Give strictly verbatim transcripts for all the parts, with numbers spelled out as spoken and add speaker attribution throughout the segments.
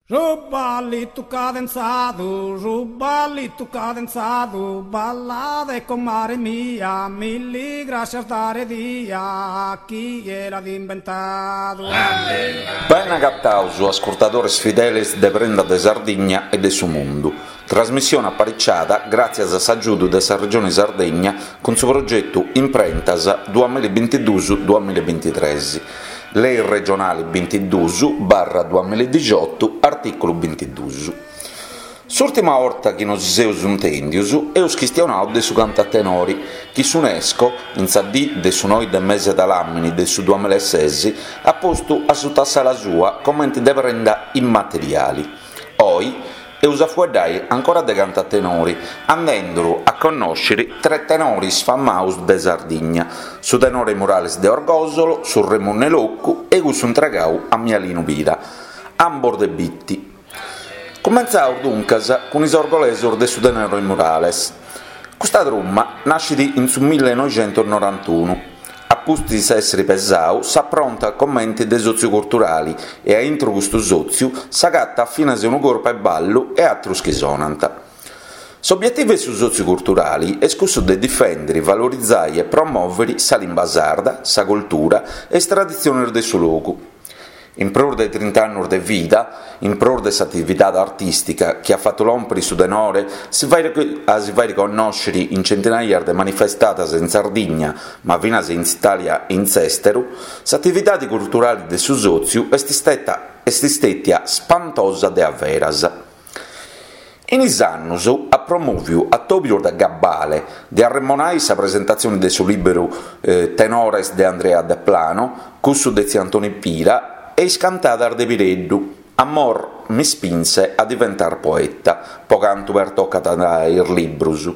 Speaker 1: Su ballitu cadenzadu, su ballitu cadenzadu, ballade comare mia, milli grascias dare dia, chie l'at imbentadu.
Speaker 2: Bene agataus, ascurtadores fideles de Prenda de Sardigna e de su Mundu. Trasmissione apariciada gràtzias a s'agiudu de sa Regione Sardegna cun su progetu Imprentas duamilla e bintiduus duamilla e bintitres, Lei regionale bintiduus barra duamilla e dixiotu, artìculu bintiduus. S'ùrtima 'orta chi nosi seus intèndios eus chistionadu de su cantu a tenore, chi s'UNESCO, in sa dì de su noi de mese de làmini de su duamilla e ses, at postu a suta s'ala sua comente de prenda immateriale. Oi eus a fueddai ancora de cantu a tenore, andenduru a connòschere tres tenores famados de Sardigna, su tenore Murales de Orgòsolo, su Remunnu 'e Locu e cussu intregadu a Mialinu Pira, ambos de Bitti. Cumentzaus duncas cun is orgolesos de su tenore Murales. Custa truma naschet in su millenoixentos norantunu. A pustis èssere pesadu s'aprontat comente de sòtziu culturale e a intro custu sòtziu s'agatat finas unu corpu 'e ballu e àteros chi sonant. S'obietivu de su sòtziu culturale est cussu de difèndere, valorizare e promòvere sa limba sarda, sa cultura e is traditziones de su logu. In prus de trinta annos de vida, in prus de s'atividade artìstica chi at fatu lòmpere su tenore si a si fàghere connòschere in centinaias de manifestadas in Sardigna, ma finas in Itàlia e in s'èsteru, s'atividade culturale de su sòtziu est isteta est istètia spantosa de averas. In is annos at promòviu atòbios de gabbale, de arremonare sa presentatzione de su lìberu Tenores de Andrea Deplano, cussu de Tziu Antoni Pira e is cantadas de Pireddu, Amor mi spinse a diventar poeta, po cantu pertocat is libros.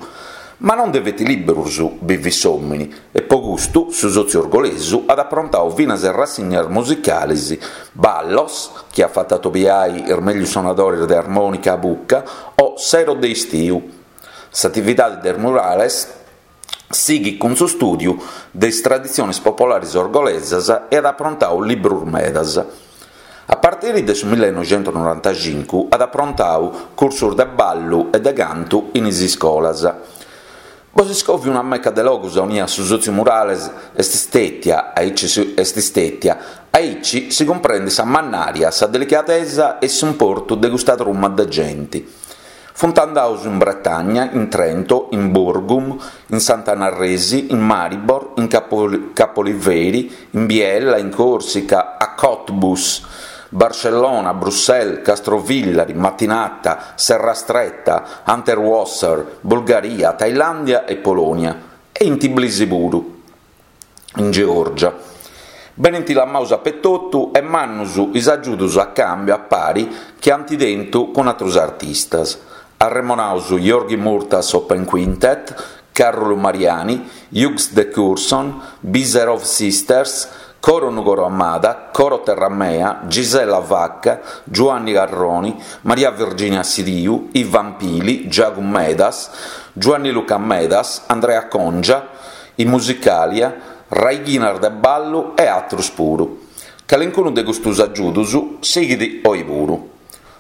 Speaker 2: Ma non de feti libros bivit s'òmine e po custu su sòtziu orgolesu at aprontadu finas rassignas musicales, ballos, chi at fatu atobiare is mègius sonadores de armònica a buca o sero de istiu. S'atividade de Murales sighit cun su stùdiu de is traditziones popolares orgolesas e at aprontadu libros medas. A partire de su millenoixentos norantacincu at aprontadu cursos de ballu e de cantu in is iscolas. Bos iscòvio una meca de logos aunia su sòtziu Murales est istètia, aici est istètia, aici si cumprendet sa mannària, sa delicadesa e s'importu de custa truma de gente. Funt andados in Bretagna, in Trento, in Burgum, in Sant'Anna Arresi, in Maribor, in Capoliveri, in Biella, in Corsica, a Cottbus, Barcellona, Bruxelles, Castrovillari, Mattinata, Serrastretta, Unterwasser, Bulgaria, Thailandia e Polonia, e in Tbilisi puru, in Georgia. Benint lamados apetotu e mannos is agiudos a càmbiu a pari chi ant tentu cun àteros artistas. Arremonados Jorghi Murtas Open Quintet, Càrolu Mariani, Hughes de Courson, Biserov Sisters, Coro Nugoro Amada, Coro Terramea, Gisella Vacca, Giuanni Carroni, Maria Virginia Siriu, Ivan Pili, Giagu Medas, Giuanni Luca Medas, Andrea Congia, i Musicalia, Raighinas de Ballu e àteros puru. Calincunu de custos agiudos sighit oe puru.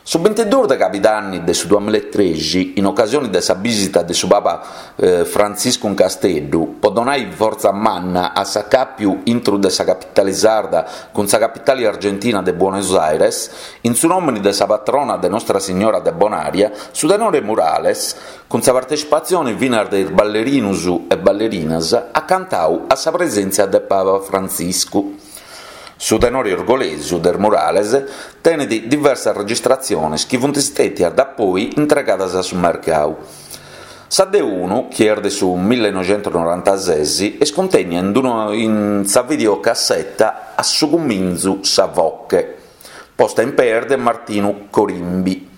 Speaker 2: Su bintiduos de Cabidanni de su duamilla e trexi, in ocasione de sa bìsita de su Papa Frantziscu in Casteddu, po donare fortza manna a s'acàpiu intro de sa capitale sarda cun sa capitale argentina de Buenos Aires, in su nòmene de sa patrona de Nostra Signora de Bonaria, su tenore Murales, cun sa partecipatzione finas de is ballerinos e ballerinas, at cantadu a sa presèntzia de Papa Frantziscu. Su tenore orgolesu de Murales tenet diversas registratziones chi funt istètias da poi intregadas a su mercadu. Sa de unu, chi est de su millenoixentos norantases, est cuntènnia in, in sa videocasseta A su cumintzu sa voche, posta in pees de Martinu Corimbi.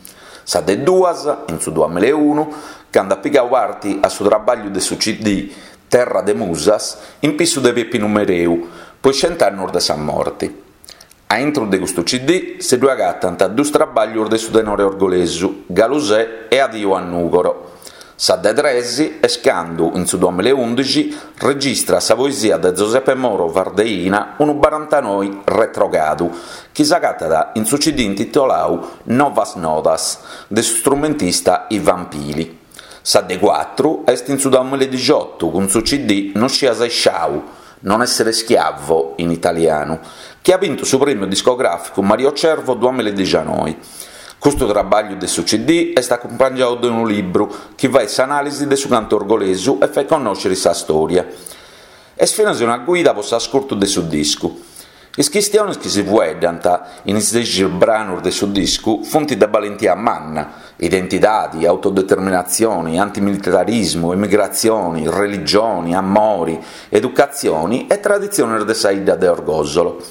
Speaker 2: Sa de duas, in su duamilla e unu, cando at pigadu parte a su traballu de su C D Terra de Musas, in pissu de Peppinu Mereu, po is cent'annos de sa morte. A intro de custu C D si ddu agatant duos traballos de su tenore orgolesu, Galusè e Adiu a Nùgoro. Sa de tres est cando, in su duamillaeundixi, registra sa poesia de Zoseppe Moro Vardeina Unu barantanoe retrogadu, chi s'agatat in su C D intitoladu Novas Nodas, de su strumentista Ivan Pili. Sa de cuatru est in su duamillaedixoto cun su C D No sias isciau, Non essere schiavo in italianu, chi at bintu su prèmiu discogràficu Mario Cervo duamillaedixinoe. Custu traballu de su C D est acumpangiadu de unu libru chi faghet s'anàlisi de su cantu orgolesu e faghet connòschere sa stòria. Est finas una guida pro s'ascurtu de su discu. Is chistiones chi si fueddant in is dexi branos de su discu funt de balentia manna: identidade, autodeterminatzione, antimilitarismu, emigratzione, religione, amore, educatzione e traditziones de sa 'idda de Orgòsolo.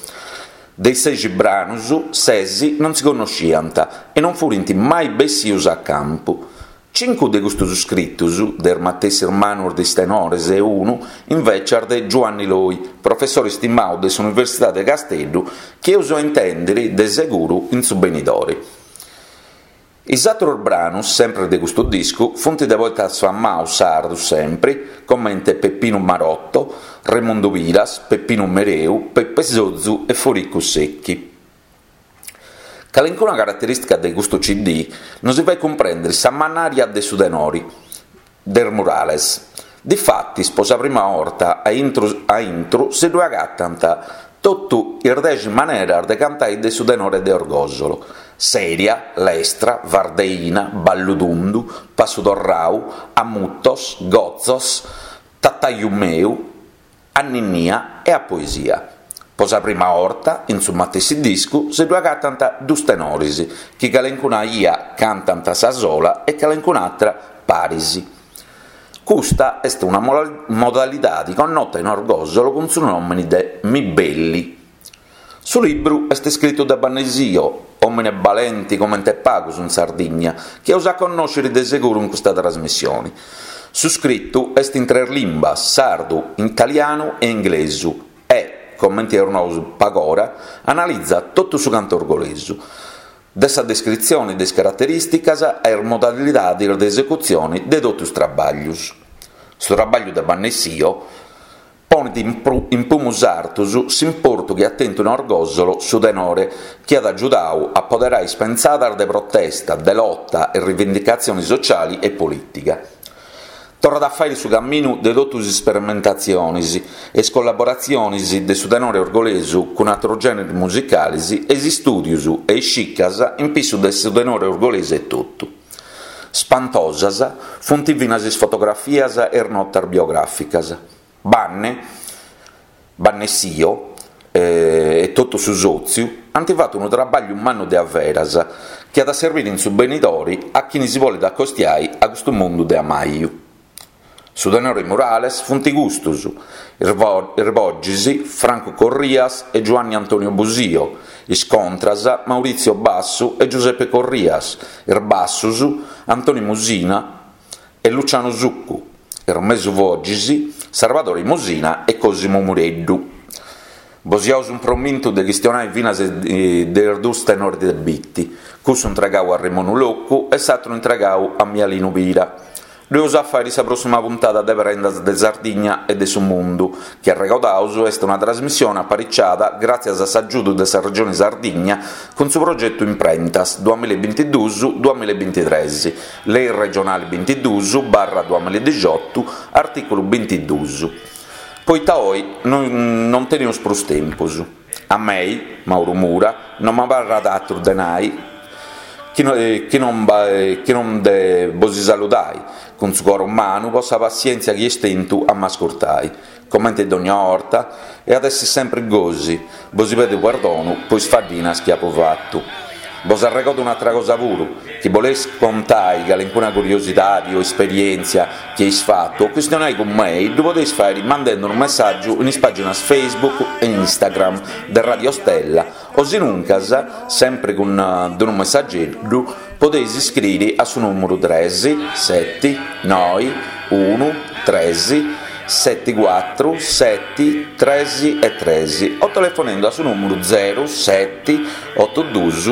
Speaker 2: De is sexi branos, ses non si connoschiant e non furint mai bessidos a campu. Cincu de custos iscritos, de is matessis manos de is tenores e unu, invecias de Giuanni Loi, professore istimadu de s'Universidade de Casteddu, chi eus a intèndere de seguru in su benidore. Is àteros branos, sempre de custu discu, funt de poetas famados sardos sempre, comente Peppinu Marotto, Remundu Piras, Peppinu Mereu, Peppe Sozu e Foricu Sechi. Calincuna caratterìstica de custu C D nos faghet cumprèndere sa mannària de su tenore, de is murales. Difatis, pro sa prima 'orta a intro, a intro si ddoe agatant totu is dexi maneras de cantare de su tenore de Orgòsolo: seria, lestra, vardeina, ballu tundu, passu torrau, a mutos, gotzos, tataiu meu, a ninnia e a poesia. Pro sa prima 'orta, in su matessi discu, si ddoe agatant duos tenores, chi calencuna 'ia cantant a sa sola e calencun'àtera paris. Custa est una modalidade connota in Orgòsolo cun su nòmene de Mibelli. Su libru est iscritu de Banne Sio, òmine balente comente pagos in Sardigna, chi eus a connòschere de seguru in custa trasmissione. Su scritu est in tres limbas, sardu, italianu e inglesu, e, comente eus nau pagora, analizat totu su cantu orgolesu, de sa descritzione de is caraterìsticas a is modalidades de esecutzione de totu is traballos. Su traballu de Banne Sio ponet in, in pumus artos s'importu chi at tentu in Orgòsolo su tenore, chi at agiudadu a poderare is pensadas de protesta, de lotta e rivendicatzione sociale e polìtica. Torrat a fàghere su camminu de totu is sperimentatziones e is collaboratziones de su tenore orgolesu cun àteros gèneres musicales e is istùdios e is cicas in pissu de su tenore orgolesu e totu. Spantosas funt finas is fotografias e is notas biogràficas. Banne, Banne Sio eh, e totu su sòtziu ant fatu unu traballu mannu de averas chi at a servire in su benidore a chini si bolet acostiare a custu mundu de amaju. Su tenore murales funt custos, is bogis Franco Corrias e Giovanni Antonio Busio, is contras Maurizio Bassu e Giuseppe Corrias, is bassos Antonio Musina e Luciano Succu, is mesu bogis Salvatore Musina e Cosimo Mureddu. Bos iaus un promintu de chistionai finas de is dus tenores de Bitti, cussu intregau a Remonu Loccu e s'atru intregau a Mialinu Pira. Ddu eus a fàere sa prossima puntada de Prendas de Sardigna e de su Mundu, chi arregodaus est una trasmissione apariciada gràtzias a s'agiudu de sa Regione Sardigna cun su progetu Imprentas duamillabintiduus duamillabintitres, Lei regionale bintiduus barra duamiladixotu, artìculu bintiduus. Poita oi non, non teneus prus tempus. A mei, Mauro Mura, non m'abarrat atru de nai chi, no, chi, non, chi non de bosi saludai, cun su coro umanu po sa passièntzia chi est tentu a m'ascurtai. Comente dogna 'orta, e at essi sempre gosi, bosi pedo perdonu po is faddinas chi apo fatu. Bos arregodo un'atra cosa puru, chi boleis contai calincuna curiosidade o esperièntzia chi eis fatu o chistionai cun mei, ddu podeis fàere mandende unu messàgiu in is pàginas Facebook e Instagram de Radio Stella o sinuncas, sempre cun unu messageddu, podeis iscriere a su nùmeru tres sete noe unu tres sete cuatru sete tres e tres o telefonendo a su nùmeru zero sete oto duus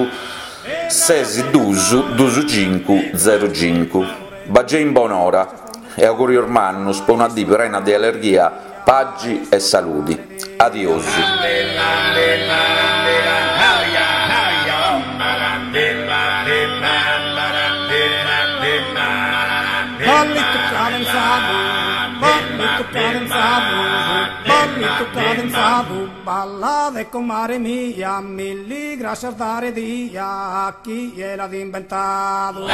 Speaker 2: ses duus duus cincu zero cincu. Bagei in bonora e augùrios mannos pro una die prena de allegria, pagi e saludi. Adiosu.
Speaker 1: Ballitu cadenzadu, ballitu cadenzadu, ballitu cadenzadu, balla de comare mia, milli gracias dare dia a chie l'at inventadu.